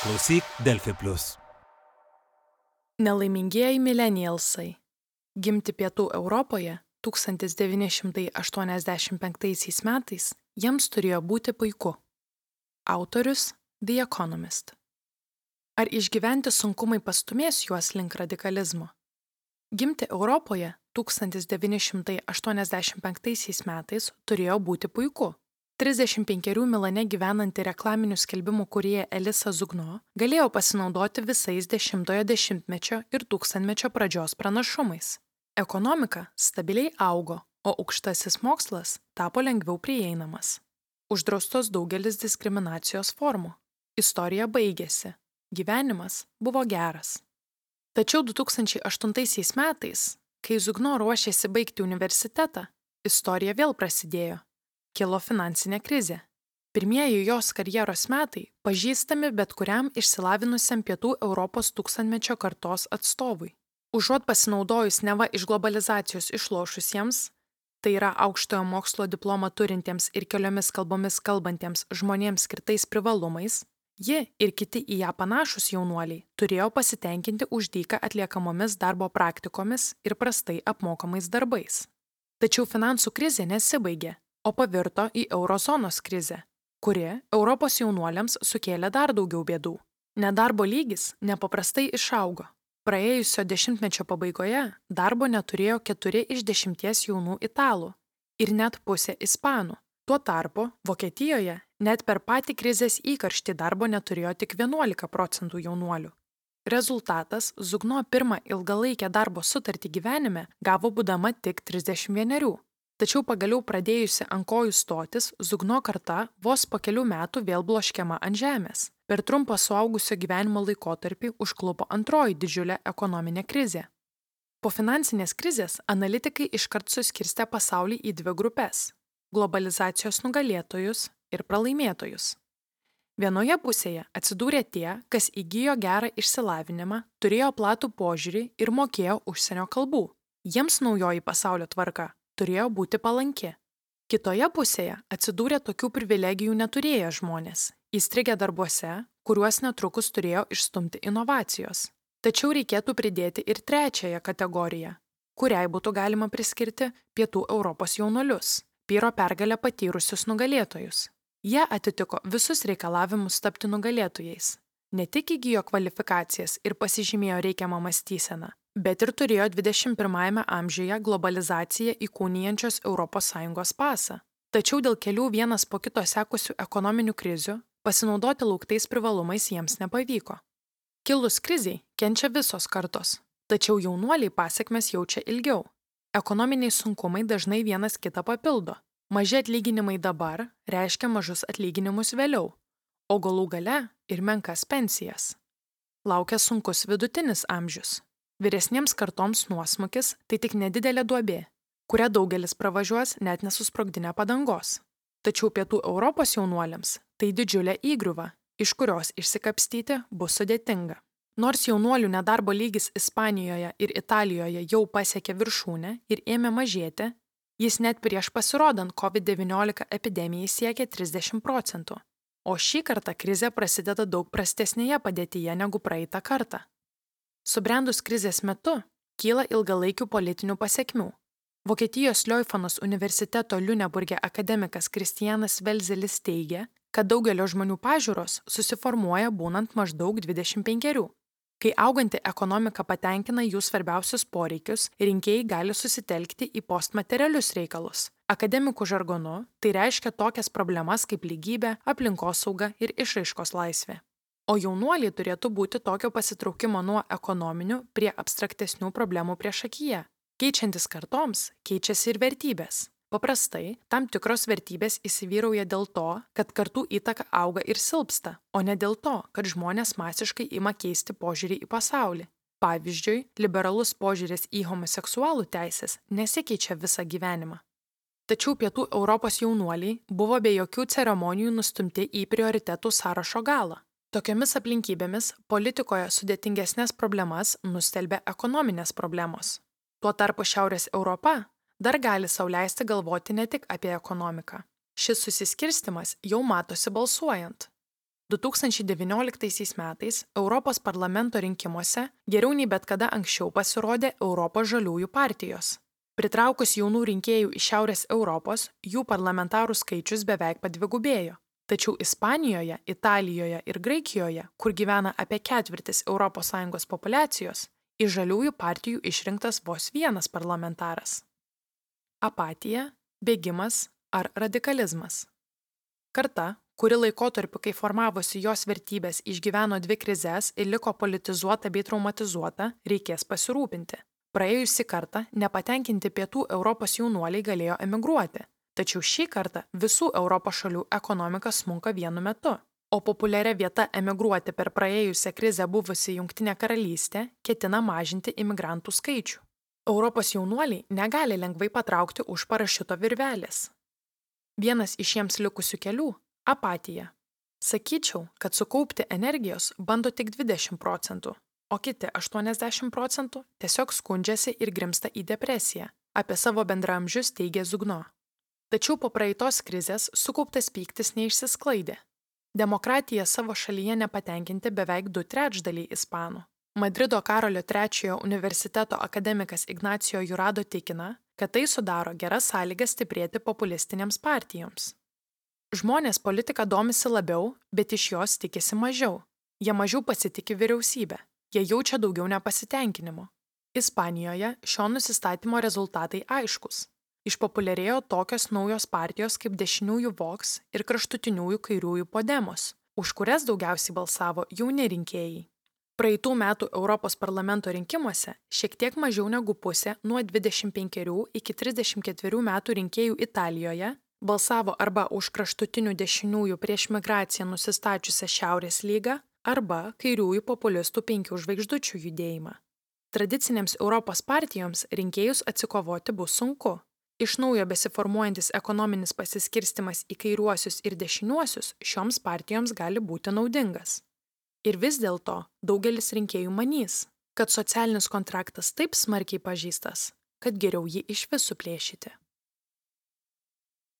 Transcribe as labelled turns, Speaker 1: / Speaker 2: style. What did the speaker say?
Speaker 1: Klausyk Delfi Plus.
Speaker 2: Nelaimingieji milenialsai. Gimti Pietų Europoje 1985 metais jiems turėjo būti puiku. Autorius The Economist. Ar išgyventi sunkumai pastumės juos link radikalizmo? Gimti Europoje 1985 metais turėjo būti puiku. 35 Milane gyvenanti reklaminių skelbimų kūrėja Elisa Zugno galėjo pasinaudoti visais 10-ojo dešimtmečio ir 1000-mečio pradžios pranašumais. Ekonomika stabiliai augo, o aukštasis mokslas tapo lengviau prieinamas. Uždraustos daugelis diskriminacijos formų. Istorija baigėsi. Gyvenimas buvo geras. Tačiau 2008 metais, kai Zugno ruošėsi baigti universitetą, istorija vėl prasidėjo. Kilo finansinė krizė. Pirmieji jos karjeros metai pažįstami bet kuriam išsilavinusiam Pietų Europos 1000-mečio kartos atstovui. Užuot pasinaudojus neva iš globalizacijos išlošusiems, tai yra aukštojo mokslo diplomą turintiems ir keliomis kalbomis kalbantiems žmonėms skirtais privalumais, ji ir kiti į ją panašus jaunuoliai turėjo pasitenkinti už dyką atliekamomis darbo praktikomis ir prastai apmokamais darbais. Tačiau finansų krizė nesibaigė, o pavirto į eurozonos krizę, kuri Europos jaunuoliams sukėlė dar daugiau bėdų. Nedarbo lygis nepaprastai išaugo. Praėjusio dešimtmečio pabaigoje darbo neturėjo 4 iš 10 jaunų italų ir net pusė ispanų. Tuo tarpu Vokietijoje net per patį krizės įkarštį darbo neturėjo tik 11% jaunuolių. Rezultatas Zugno pirmą ilgalaikę darbo sutartį gyvenime gavo būdama tik 31. Tačiau pagaliau pradėjusi ant kojų stotis, Zugno karta vos po kelių metų vėl bloškiama ant žemės. Per trumpą suaugusio gyvenimo laikotarpį užklupo antroji didžiulė ekonominė krizė. Po finansinės krizės analitikai iškart suskirstė pasaulį į 2 grupes – globalizacijos nugalėtojus ir pralaimėtojus. Vienoje pusėje atsidūrė tie, kas įgijo gerą išsilavinimą, turėjo platų požiūrį ir mokėjo užsienio kalbų. Jiems naujoji pasaulio tvarka turėjo būti palanki. Kitoje pusėje atsidūrė tokių privilegijų neturėję žmonės, įstrigę darbuose, kuriuos netrukus turėjo išstumti inovacijos. Tačiau reikėtų pridėti ir trečiąją kategoriją, kuriai būtų galima priskirti Pietų Europos jaunuolius, Pyro pergalę patyrusius nugalėtojus. Jie atitiko visus reikalavimus tapti nugalėtojais. Ne tik įgijo kvalifikacijas ir pasižymėjo reikiamą mąstyseną, bet ir turėjo 21 amžiuje globalizaciją įkūnijančios ES pasą. Tačiau dėl kelių vienas po kito sekusių ekonominių krizių pasinaudoti lauktais privalumais jiems nepavyko. Kilus kriziai kenčia visos kartos, tačiau jaunuoliai pasekmes jaučia ilgiau. Ekonominiai sunkumai dažnai vienas kitą papildo. Maži atlyginimai dabar reiškia mažus atlyginimus vėliau, o galų gale ir menkas pensijas. Laukia sunkus vidutinis amžius. Vyresniems kartoms nuosmukis tai tik nedidelė duobė, kurią daugelis pravažiuos net nesusprogdinę padangos. Tačiau Pietų Europos jaunuoliams tai didžiulė įgriuva, iš kurios išsikapstyti bus sudėtinga. Nors jaunuolių nedarbo lygis Ispanijoje ir Italijoje jau pasiekė viršūnę ir ėmė mažėti, jis net prieš pasirodant COVID-19 epidemijai siekė 30%. O šį kartą krizė prasideda daug prastesnėje padėtyje negu praeitą kartą. Subrendus krizės metu kyla ilgalaikių politinių pasekmių. Vokietijos Leuphana universiteto Liuneburge akademikas Kristianas Velzelis teigia, kad daugelio žmonių pažiūros susiformuoja būnant maždaug 25. Kai auganti ekonomika patenkina jų svarbiausius poreikius, rinkėjai gali susitelkti į postmaterialius reikalus. Akademikų žargonu tai reiškia tokias problemas kaip lygybė, aplinkosauga ir išraiškos laisvė. O jaunuoliai turėtų būti tokio pasitraukimo nuo ekonominių prie abstraktesnių problemų priešakyje. Keičiantis kartoms, keičiasi ir vertybės. Paprastai, tam tikros vertybės įsivyrauja dėl to, kad kartų įtaka auga ir silpsta, o ne dėl to, kad žmonės masiškai ima keisti požiūrį į pasaulį. Pavyzdžiui, liberalus požiūris į homoseksualų teisės nesikeičia visą gyvenimą. Tačiau Pietų Europos jaunuoliai buvo be jokių ceremonijų nustumti į prioritetų sąrašo galą. Tokiomis aplinkybėmis politikoje sudėtingesnės problemas nustelbė ekonominės problemos. Tuo tarpu Šiaurės Europa dar gali sau leisti galvoti ne tik apie ekonomiką. Šis susiskirstimas jau matosi balsuojant. 2019 metais Europos parlamento rinkimuose geriau nei bet kada anksčiau pasirodė Europos žaliųjų partijos. Pritraukus jaunų rinkėjų iš Šiaurės Europos, jų parlamentarų skaičius beveik padvigubėjo. Tačiau Ispanijoje, Italijoje ir Graikijoje, kur gyvena apie ketvirtis ES populiacijos, iš žaliųjų partijų išrinktas vos vienas parlamentaras. Apatija, bėgimas ar radikalizmas. Karta, kuri laikotarpiu, kai formavosi jos vertybės, išgyveno dvi krizes ir liko politizuota bei traumatizuota, reikės pasirūpinti. Praėjusį kartą nepatenkinti pietų Europos jaunuoliai galėjo emigruoti, tačiau šį kartą visų Europos šalių ekonomika smunka vienu metu, o populiaria vieta emigruoti per praėjusią krizę buvusi Jungtinė karalystė ketina mažinti imigrantų skaičių. Europos jaunuoliai negali lengvai patraukti už parašiuto virvelės. Vienas iš jiems likusių kelių – apatija. Sakyčiau, kad sukaupti energijos bando tik 20%, o kiti 80% tiesiog skundžiasi ir grimsta į depresiją, apie savo bendraamžius teigia Zugno. Tačiau po praeitos krizės sukauptas pyktis neišsisklaidė. Demokratija savo šalyje nepatenkinti beveik 2/3 ispanų. Madrido Karolio III universiteto akademikas Ignacio Jurado tikina, kad tai sudaro geras sąlygas stiprėti populistinėms partijoms. Žmonės politika domisi labiau, bet iš jos tikisi mažiau. Jie mažiau pasitiki vyriausybę. Jie jaučia daugiau nepasitenkinimo. Ispanijoje šio nusistatymo rezultatai aiškus. Išpopuliarėjo tokios naujos partijos kaip dešiniųjų Vox ir kraštutiniųjų kairiųjų Podemos, už kurias daugiausiai balsavo jauni rinkėjai. Praeitų metų Europos parlamento rinkimuose šiek tiek mažiau negu pusė nuo 25 iki 34 metų rinkėjų Italijoje balsavo arba už kraštutinių dešiniųjų prieš migraciją nusistačiusią Šiaurės lygą, arba kairiųjų populistų 5 žvaigždučių judėjimą. Tradicinėms Europos partijoms rinkėjus atsikovoti bus sunku. Iš naujo besiformuojantis ekonominis pasiskirstimas į kairiuosius ir dešiniuosius šioms partijoms gali būti naudingas. Ir vis dėlto daugelis rinkėjų manys, kad socialinis kontraktas taip smarkiai pažeistas, kad geriau jį išvis suplėšyti.